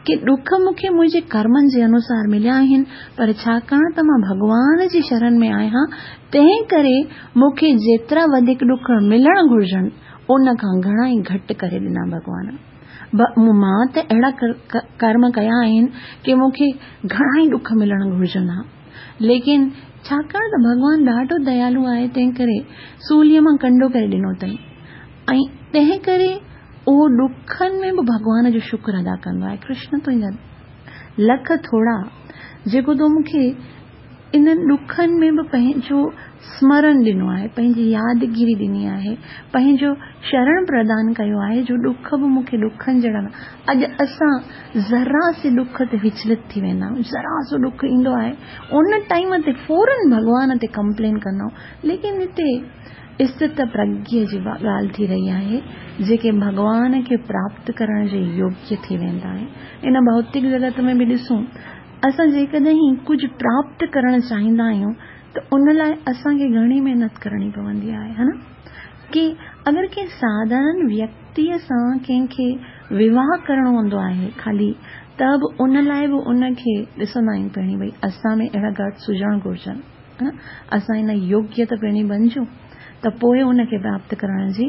ڪي ڏک مون کي منهنجي ڪرمن جي انوسار مليا آهن پر ڇاڪاڻ ته مان ڀڳوان جي شرن ۾ آهيان تنهن ڪري مون کي جيترا وڌيڪ ڏک ملڻ گهرجن ان کان گهڻا ئي گهٽ ڪري ڏنا ڀڳوان. مان ته اهڙا ڪرم ڪيا آهن ڪي مون کي گهڻا ئي ڏک ملڻ گهرجن ها ليڪن ڇاڪاڻ ته ڀڳوان ڏاڍو ديالو آهي تنهن ڪري سوليء مان ڪنڊو ڪري ڏنو اٿئي ۽ تنهن ڪري اهو ڏکن ۾ به ڀڳوان جو شڪر ادا ڪندو آهي ڪرشن تنهنجا لک ٿورا جيڪو تو مون کي انهن ڏکن ۾ به پنهنجو سمرن ڏنو آهي، پنهنجي يادگيري ڏني آهي، پنهنجو شرڻ پردان ڪيو آهي جو ڏک به مون کي ڏکن جهڙا نه. اڄ اسان ذرا سي ڏک تي وچلت ٿي ويندا آهيون، ذرا سو ڏک ايندو آهي ان ٽائيم تي فورن ڀڳوان تي ڪمپلين ڪندا آهيون، ليڪن هتي استت پرگيه جي ڳالهه ٿي رهي آهي، جيڪي ڀڳوان کي پراپت ڪرڻ جي يوگيه ٿي ويندا آهن. ان ڀوتڪ جڳت ۾ به ڏسون اسان جيڪڏهن ڪجهه پراپت ڪرڻ چاهيندا آهيون ته ان لاء اسان کي گهڻي محنت ڪرڻي پوندي آهي ها نه؟ ڪي اگر ڪنهن ساڌارن ويڪتيء سان ڪنهن کي وواهه ڪرڻو هوندو آهي خالي ته به ان لاء به ان کي ڏسندا آهيون پهرين ڀئي اسان ۾ اهڙا گٽس هجڻ گهرجن. نه اسان ان يوگيه ته پهرين بڻجون ته پوء ان کي پراپت ڪرڻ جي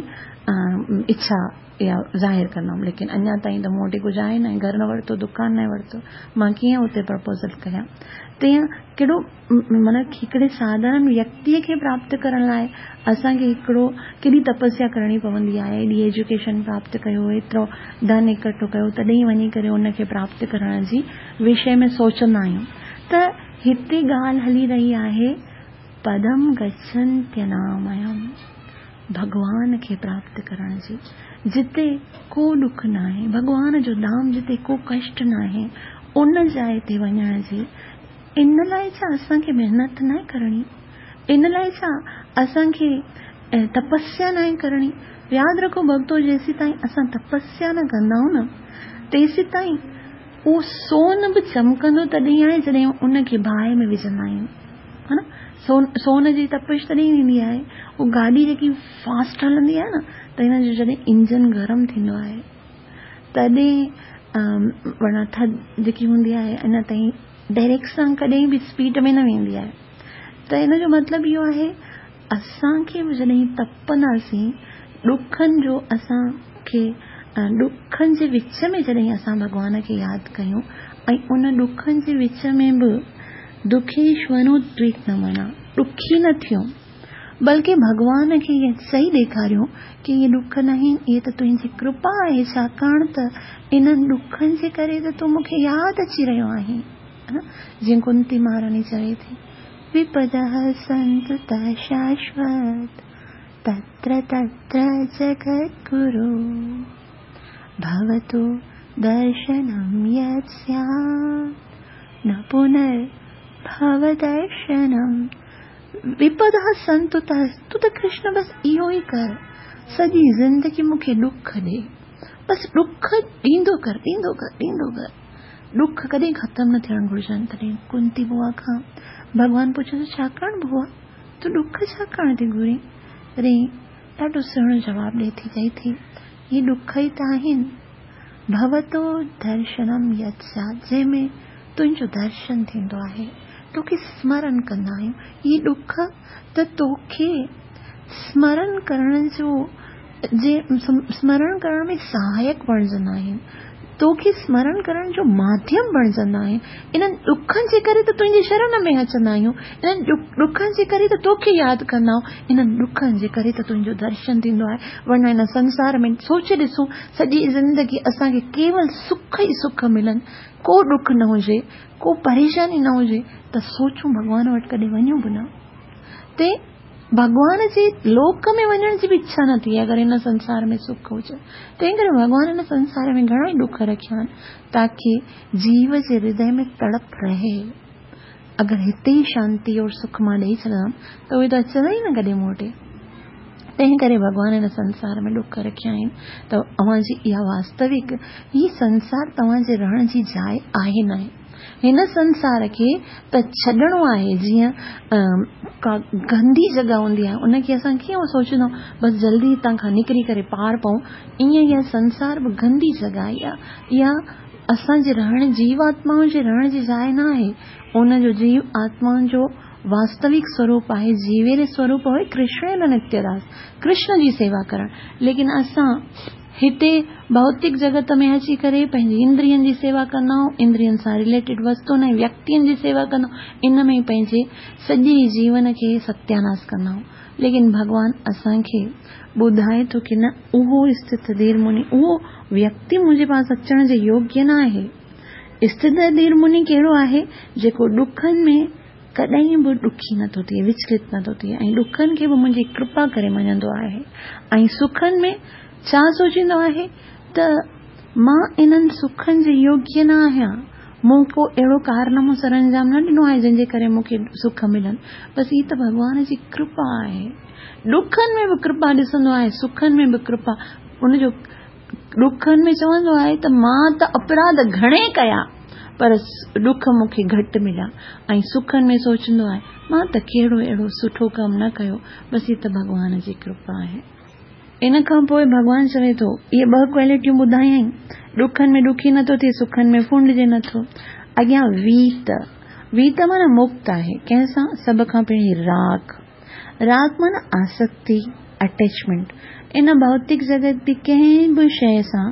اڇا يا ظاهر ڪندم ليڪن اڃا تائين ته مون وٽ ڪجهه آهي نه گهر نه ورتو دڪان نه ورتو مان ڪيئن اتي پرپوزل ڪيان تيئن ڪهڙو معنيٰ هڪڙي ساڌارڻ ويڪتيء کي پراپت ڪرڻ لاء اسان کي هڪڙو ڪيڏي تپسيا ڪرڻي پوندي آهي ايڏي ايجوڪيشن پراپت ڪيو ايترو ڌن اڪٺو ڪيو تڏهن وڃي ڪري ان کي پراپت ڪرڻ جي وشي ۾ سوچندا آهيون ته هتي ڳالهه هلي رهي آهي پدم گڇنتيناميم ڀڳوان کي پراپت ڪرڻ جي جتي ڪو ڏک ناهي ڀڳوان جو ڌام جتي ڪو ڪشٽ ناهي ان جاء تي وڃڻ جي ان لاء ڇا اسان کي محنت ناهي ڪرڻي؟ ان لاء ڇا اسان کي تپسيا ناهي ڪرڻي؟ ياد رکو ڀڳتو جيسيتائين اسان تپسيا نه ڪندائون نه تيسيتائين اهو سون به چمڪندو تڏهن آهي جڏهن ان کي باهه ۾ وجهندا آهيون ها نه سون سون جي تپش تڏهن ٿيندي آهي اهو گاڏي جيڪي فاسٽ هلندي آهي نه ته هن جو جڏهن انجن گرم ٿيندو آهي تڏهن ورنه ٿڌ جيڪي هوندي آهي اڃا تائين ڊائريڪٽ سان ڪڏهن به اسپيڊ ۾ نه ويندي آهي ته ان جو مطلب اهو آهي اسان کي به جڏهن تپنداسين ڏکن جو اسان کي ڏکن جي وچ ۾ جڏهن اسان ڀڳوان کي ياد ڪيون ۽ ان ڏکن جي وچ ۾ به دکيشونودويگن منا ڏکي نه ٿيون بلڪه ڀڳوان کي ائين چئي ڏيکاريون ڪي اهي ڏک ناهن، اهي ته تنهنجي ڪرپا آهي، ڇاڪاڻ ته انهن ڏکن جي ڪري ته تون مون کي ياد اچي رهيو آهين. جيئن ڪنتي مهاراڻي چوي ٿي، وپدः سنتु ته شاشوت تتر تتر جگدگرو ڀوتو درشنم يت سيات نه پنر ڀو درشنم. وپداه سنتو ته تون ته ڪرشن بس اهو ئي ڪر سڄي زندگي مون کي ڏک ڏي بس ڏک ڏيندو ڪر ڏيندو ڪر ڏيندو ڪر ڏک ڪڏهن ختم نه ٿيڻ گهرجن تڏهن ڪنتي بوا کان ڀڳوان پڇيس ڇاڪاڻ بوا تون ڏک ڇاڪاڻ ٿي گهرين تڏهن ڏاڍو سهڻو جواب ڏي ٿي چئي ٿي هي ڏک ئي ته آهن ڀوتو درشنم يت سيات جنهن ۾ تنهنجو درشن ٿيندو آهي، توکي سمرن ڪندا آهيون. هي ڏک ته توکي سمرن ڪرڻ جو جي سمرڻ ڪرڻ ۾ سهائڪ بڻجندا آهن. توکي سمرڻ ڪرڻ جو ماڌيم بڻجندا آهن. انهن ڏکن جي ڪري ته تنهنجي شرڻ ۾ اچندا آهيون. انهن ڏکن جي ڪري ته توکي ياد ڪندا آهيون. انهن ڏکن جي ڪري ته تنهنجو درشن ٿيندو آهي. ورنه هن سنسار ۾ سوچي ڏسون سڄي زندگي اسان کي ڪيول سک ئي سک ملن. ڪو ڏک نه هجي، ڪو پريشاني نه هجي ته سوچون ڀڳوان وٽ ڪڏهن وڃون به نه. تي ڀڳوان جي لوڪ ۾ وڃڻ جي به اڇا نه ٿئي اگر هن سنسار ۾ سک هجي. تنهن ڪري ڀڳوان هن سنسار ۾ گهڻا ئي ڏک رکيا آهن تاڪي جيو جي هردي ۾ تڙپ رهي. اگر هتي ئي شانتي اور سک مان ڏئي ڇڏندم ته اهي ته اچندا ئي نه ڪڏهن مون وٽ. تنهن ڪري ڀڳوان هن سنسار ۾ ڏک رکيا آهن ته اوهان جي اها واستوڪ هي سنسار توهان جي رهڻ جي جاء آهي ناهي. هن سنسار کي ته ڇڏڻو آهي جيئن ڪا گندي جڳهه هوندي آهي ان کي اسان ڪيئن سوچيندا آهيون بس جلدي هتان کان نڪري ڪري پار پئون ائين اها سنسار به گندي جڳهه آهي اها اسان جي رهڻ جيو آتمائن جي رهڻ جي جاء نه آهي. ان جو جيو آتمائن جو واستوڪ سوروپ آهي، جيويري سوروپ آهي ڪرشڻ نتيه داس، ڪرشن جي سيوا ڪرڻ. ليڪن اسان هتي ڀوتڪ جڳت ۾ اچي ڪري پنهنجي اندرين جي سيوا ڪندا آهيون، اندرين سان رليٽيڊ وستون ۽ ويڪتين جي سيوا ڪندا آهيون، ان ۾ ئي پنهنجي سڄي جيون کي ستياناس ڪندا آهيون. ليڪن ڀڳوان اسان کي ٻڌائي ٿو ڪي نه اهو اسٿت ڌير مني، اهو ويڪتي منهنجي پاس اچڻ جي يوگيه نه آهي. اسٿت ڌير مني ڪهڙو آهي؟ جيڪو ڏکن ۾ ڪڏهن به ڏکي نه ٿو ٿئي، وچلت نه ٿو ٿئي ۽ ڏکن کي به منهنجي ڪرپا ڪري مڃندو آهي ۽ سکن ۾ ڇا سوچيندو آهي ته مان انهن سکن جي يوگيه نه آهيان، مون ڪو اهڙو ڪارنامو سرانجام نه ڏنو آهي جنهن جي ڪري مون کي سک ملن، بس هي ته ڀڳوان جي ڪرپا آهي. ڏکن ۾ به ڪرپا ڏسندو آهي، سکن ۾ به ڪرپا. ان جو ڏکن ۾ چوندو آهي ته مان ته اپراڌ گهڻي ڪيا پر ڏک مون کي گهٽ مليا ۽ سکن ۾ سوچندو آهي مان ته ڪهڙو اهڙو سٺو ڪم نه ڪيو، بس هي ته ڀڳوان جي ڪرپا آهي. ان کان پوء ڀڳوان چوي ٿو، اهي ٻه ڪوالٽيون ٻڌايائين، ڏکن ۾ ڏکي نٿو ٿئي، سکن ۾ ڦونڊجي نٿو. اڳيان ويت، ويت معنيٰ مڪت آهي. ڪنهن سان؟ سڀ کان پهرين راڳ. راڳ معنيٰ آسڪتي، اٽيچمينٽ. ان ڀوتڪ جڳت جي ڪنهن به شيء سان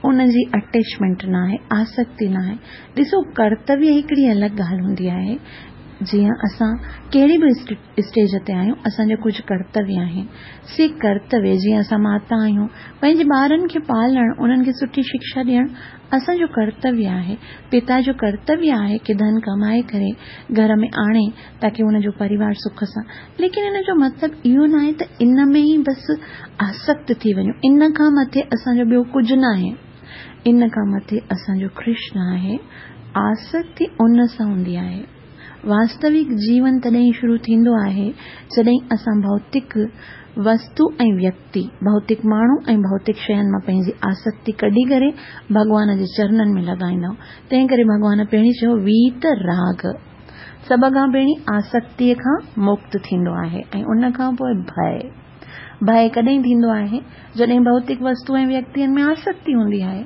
ان جي اٽيچمينٽ ناهي، آسڪتي ناهي. ڏسو ڪرتويه هڪڙي الڳ ڳالهه هوندي آهي. جيئن اسان ڪهڙي به اسٽيج تي آهيون، اسان جا ڪجهه ڪرتويه آهن. سي ڪرتويه جيئن اسان ماتا آهيون، پنهنجي ٻارن کي پالڻ، انهن کي سٺي شڪشا ڏيڻ اسان جو ڪرتويه آهي. پتا جو ڪرتويه آهي ڪي ڌن ڪمائي ڪري گهر ۾ آڻي تاڪي ان جو پريوار سک سان. ليڪن ان جو مطلب اهو ناهي ته ان ۾ ئي بس آسڪت ٿي وڃون. ان کان مٿي اسان جو ٻيو ڪجهه ناهي. ان کان مٿي اسان جو ڪرشن آهي. آسڪتي ان سان هوندي آهي. واستوڪ جيون تڏهن شروع ٿيندو آهي جڏهن اسان ڀوتڪ وستو ۽ ويڪتي، ڀوتڪ ماڻهو ۽ ڀوتڪ شين مان پنهنجي آسڪتي ڪڍي ڪري ڀڳوان جي چرنن ۾ لڳائيندا آهيون. تنهن ڪري ڀڳوان پهرين چيو ويت راڳ. سڀ کان پهرين آسڪتيء کان مڪت ٿيندو آهي ۽ ان کان پوء ڀئه. ڀئه ڪڏهن ٿيندو آهي؟ جڏهن ڀوتڪ وستو ۽ ويڪتين ۾ آسڪتي هوندي آهي.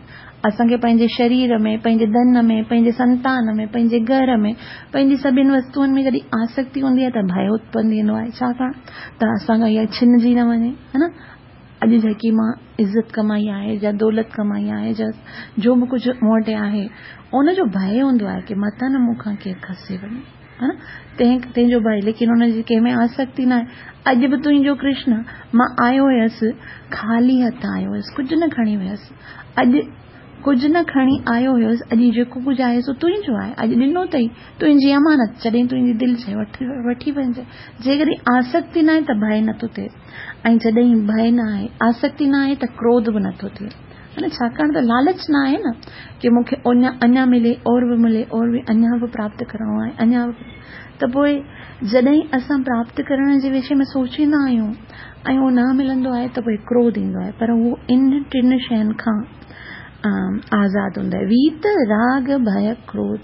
اسان کي پنهنجي شرير ۾، پنهنجي ڌن ۾، پنهنجي سنتان ۾، پنهنجي گهر ۾، پنهنجي سڀن وستوئن ۾ جڏهن آسڪتي هوندي آهي ته ڀئه اتپن ٿيندو آهي. ڇاڪاڻ ته اسان کان اها ڇنجي نه وڃي، ها نه؟ اڄ جيڪي مان عزت ڪمائي آهي يا دولت ڪمائي آهي يا جو به ڪجهه مون وٽ آهي، ان جو ڀئه هوندو آهي ڪي متان نه مون کان ڪير کسي وڃي. ها نه؟ تنهن جو ڀئه، ليڪن ان جي ڪنهن ۾ آسڪتي ناهي. اڄ به تنهنجو ڪرشن، مان آيو هيس، خالي هٿ آيو هيس، ڪجهه نه کڻي ويس. اڄ ڪجهه نه کڻي آيو هيس، اڄ جيڪو ڪجهه آهي سو تنهنجو آهي، اڄ ڏنو اٿئي، تنهنجي امانت، جڏهن تنهنجي دل چئي وٺي وڃجانء. جيڪڏهن آسڪتي ناهي ته ڀئه نٿو ٿئي ۽ جڏهن ڀئه نه آهي، آسڪتي نه آهي ته ڪروڌ به نٿو ٿئي. ها نه، ڇاڪاڻ ته لالچ نه آهي نه ڪي مون کي اڃا ملي، اور به ملي، اور به اڃا به پراپت ڪرڻو آهي، اڃا به. ته پوء جڏهن اسان پراپت ڪرڻ جي وشي ۾ سوچيندا آهيون ۽ اهو نه ملندو آهي ته پوء ڪروڌ ايندو آهي پر اهو ان ٽن شين کان آزاد هوندو آهي ويت راڳ ڀئه ڪروڌ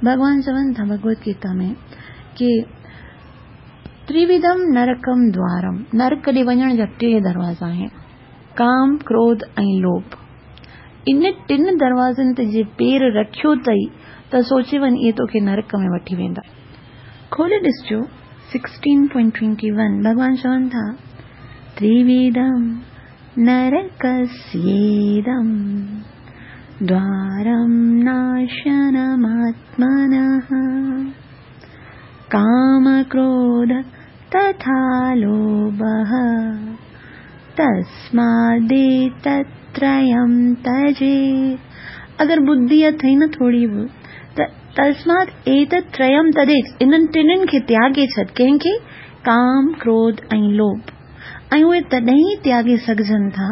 ڀڳوان چون ٿا ڀڳوت گيتا ۾ ڪي تريوڌم نرڪم دوارم نرڪ ڏي وڃڻ جا ٽي دروازا آهن ڪام ڪروڌ ۽ لوڀ ان ٽن دروازن تي جي پير رکيو اٿئي ته سوچي وڃ اهي توکي نرڪ ۾ وٺي ويندا. کولي ڏسجو 16.21 ڀڳوان چون ٿا، تريوڌم نرڪسيدم دوارم ناشنماتمنه ڪام ڪروڌ تٿا لوڀه تسماديتتريم تجيت اگر ٻڌي اٿئي نه ٿوري به ته تسمات ايتت تريم تجيت انهن ٽنهن کي تياڳي ڇڏ ڪنهن کي؟ ڪام، ڪروڌ ۽ لوڀ ۽ اهي تڏهن ئي تياڳي سگهجن ٿا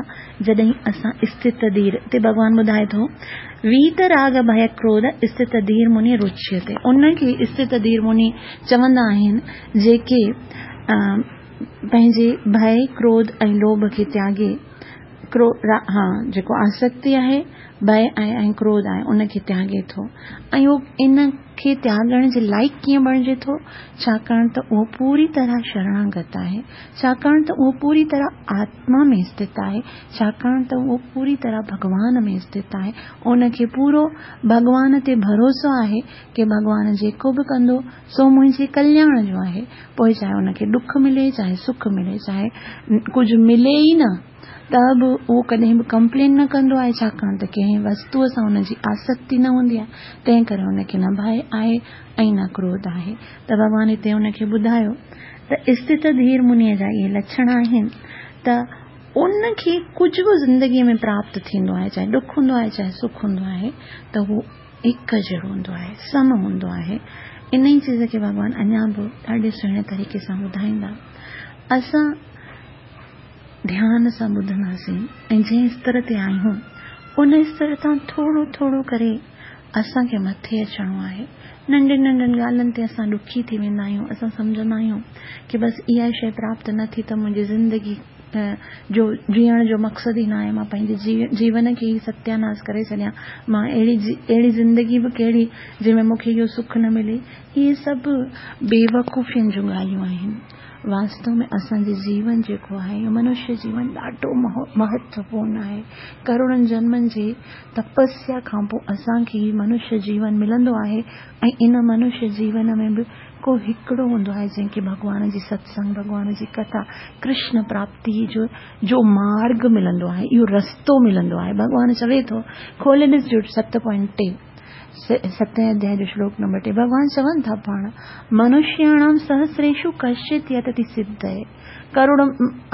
جڏهن اسان استت ڌير هتي ڀڳوان ٻڌائي ٿو ويت راڳ ڀئه ڪروڌ استت ڌير مني رچيتي ان کي استت ڌير مني چوندا آهن جيڪي پنهنجي ڀئه، ڪروڌ ۽ لوڀ کي تياڳي، ها جيڪو آسڪتي آهي، ڀئه آهي ۽ ڪروڌ آهي ان کي تياڳي ٿو ۽ اهو ان کي تياڳڻ جي لائق ڪيئن بڻجي ٿو؟ ڇاڪاڻ ته اهو پوري طرح شرڻاگت آهي، ڇاڪاڻ ته اهو پوري طرح آتما ۾ اسٿت آهي، ڇاڪاڻ ته اهو پوري طرح ڀڳوان ۾ اسٿت آهي، ان کي پورو ڀڳوان تي ڀروسو آهي ڪي ڀڳوان جيڪو به ڪندو سو منهنجي ڪلياڻ جو آهي، پوء چاهي ان کي ڏک ملي چاهي سک ملي، چاهي ڪجهه ملي ئي نه ته به اهو ڪڏهن به ڪمپلين نه ڪندو آهي، ڇاڪاڻ ته ڪنهن وستوء سان ان جي آسڪتي نه هوندي آهي، تنهن ڪري ان کي نه ڀئه آهي ۽ نه ڪروڌ آهي. ته ڀڳوان هتي ان کي ٻڌايو ته اسٿت ڌير منيء جا اهي لڇڻ آهن ته ان کي ڪجهه به زندگيء ۾ پراپت ٿيندو آهي، چاهي ڏک هوندو آهي چاهي سک هوندو آهي ته هو هڪ جهڙو هوندو آهي، سم هوندو آهي. انهيء چيز کي ڀڳوان اڃا به ڏاڍي سهڻي طريقي سان ٻڌائيندا. اسان ڌيان سان ٻڌنداسين ۽ جنهن استر تي آهيون، ان استر تان ٿورو ٿورو ڪري اسان کي مٿي اچڻو آهي. ننڍين ننڍين ڳالهين تي اسان ڏکي ٿي ويندا آهيون. اسان سمجهندا آهيون ڪي بس اها شيء پراپت نه ٿي ته منهنجي زندگي جو جيئڻ جو مقصد ئي ناهي، مان پنهنجي جيون کي ئي ستياناس ڪري ڇڏيان، مان اهڙي اهڙي زندگي به ڪهڙي جنهن ۾ مون کي اهو سک نه ملي. اهي سڀ بيوقوفين جون ڳالهيون آهن. واستو ۾ اسان جي جيون جيڪو آهي اهو منشيه جيون ڏاڍو مهتوپورن آهي. ڪروڙن جنمن جي تپسيا کان پوء اسان کي هي منشيه جيون ملندو آهي ۽ ان منشيه جيون ۾ به ڪو هڪڙو هوندو آهي جنهن کي ڀڳوان جي ستسنگ، ڀڳوان جي ڪٿا، ڪرشن پراپتي جو جو مارگ ملندو آهي، اهو رستو ملندو آهي. ڀڳوان چوي ٿو، کولي ڏسجو ست پوائنٽ ٽي. ستين اڌياء جو شلوڪ نمبر 3 ڀڳوان چون ٿا پاڻ منشياڻام سهسريشو ڪشچت يتتي سڌئي ڪروڙ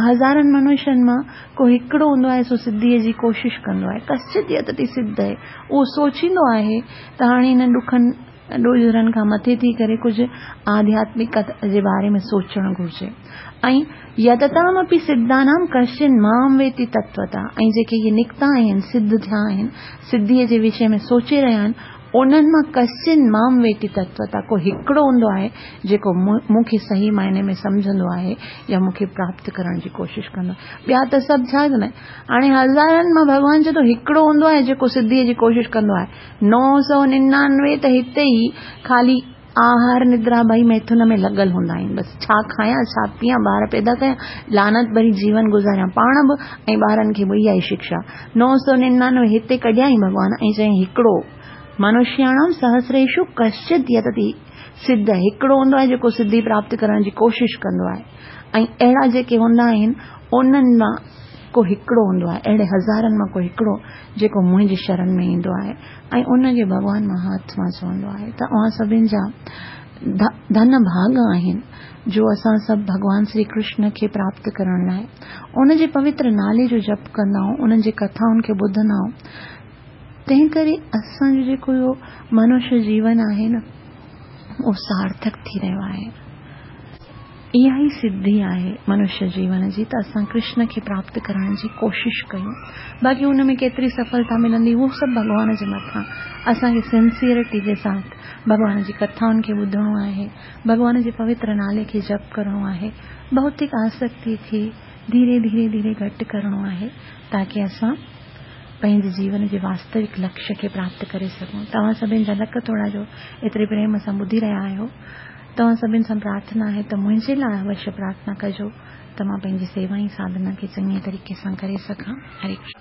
هزارن منشين مان ڪو هڪڙو هوندو آهي سو سڌيء جي ڪوشش ڪندو آهي ڪشچت يتتي سڌئي اهو سوچيندو آهي ته هاڻي هنن ڏکن ڏوجهرن کان مٿي ٿي ڪري ڪجهه آڌياتمڪ جي باري ۾ سوچڻ گهرجي ۽ يتتامپي سڌانام ڪشچن مام ويتي تتوتا ۽ جيڪي اهي نڪتا آهن، سڌ ٿيا آهن، سڌيء جي وشي ۾ سوچي رهيا آهن، انهن مان ڪشچن مام ويتي تتوتا ڪو هڪڙو هوندو آهي، جيڪو مون کي صحيح معني ۾ سمجهندو آهي يا مون کي پراپت ڪرڻ جي ڪوشش ڪندو آهي. ٻيا ته سڀ ڇا ڪندا آهن؟ هاڻي هزارن مان ڀڳوان چئي ٿو هڪڙو هوندو آهي جيڪو سڌيء جي ڪوشش ڪندو آهي. 999 ته هتي ئي خالي آهار ندرا ٻئي ميٿن ۾ لڳل هوندا آهن. بس ڇا کايان، ڇا پيان، ٻار پيدا ڪيان، لعنت ڀري جيون گذاريان پاڻ به ۽ ٻارن کي به اها ئي شڪشا. 999 هتي ڪڍيائين ڀڳوان ۽ چيائين هڪڙو منشياڻام سهسريشو ڪشچت يتتي سڌ هڪڙو هوندو آهي جيڪو سڌي پراپت ڪرڻ جي ڪوشش ڪندو آهي ۽ اهڙا جيڪي هوندا آهن انهن مان ڪو هڪڙو هوندو آهي اهڙي هزارن مان ڪو هڪڙو جيڪو منهنجي شرن ۾ ايندو آهي ۽ ان کي ڀڳوان مهاتما چوندو آهي ته اوهان سڀن جا ڌن ڀاڳ آهن جو اسان سڀ ڀڳوان شري ڪرشن کي پراپت ڪرڻ لاء ان جي پوتر نالي جو جپ ڪندا آهيون انهن جي ڪٿائن کي ٻڌندا آهيون تنهن ڪري اسان جو جيڪو اهو منشيه جيون آهي نه اهو سارٿڪ ٿي رهيو آهي. اها ئي سڌي آهي منشيه جيون جي ته اسان ڪرشن کي پراپت ڪرڻ جي ڪوشش ڪيون. باقي ان ۾ ڪيتري سڦلتا ملندي اهو سڀ ڀڳوان جي مٿان. اسان کي سنسيئرٽي جي ساٿ ڀڳوان جي ڪٿائن کي ٻڌڻو آهي، ڀڳوان جي پوتر نالي کي جپ ڪرڻو آهي، ڀوتڪ آسڪتي کي ڌيري ڌيري ڌيري گهٽ ڪرڻو آهي تاڪه اسان پنهنجي جيون جي واستوڪ لڪشيه کي پراپت ڪري سگهون. توهان سڀن جا لک ٿورا جو ايتري پريم سان ٻڌي رهيا آهيو. توهان سڀن سان پرارٿنا آهي ته منهنجي لاء اوشيه پرارٿنا ڪجو ته مان پنهنجي سيوا ۽ ساڌنا کي چڱي طريقي سان ڪري سگهان. هري ڪرشن.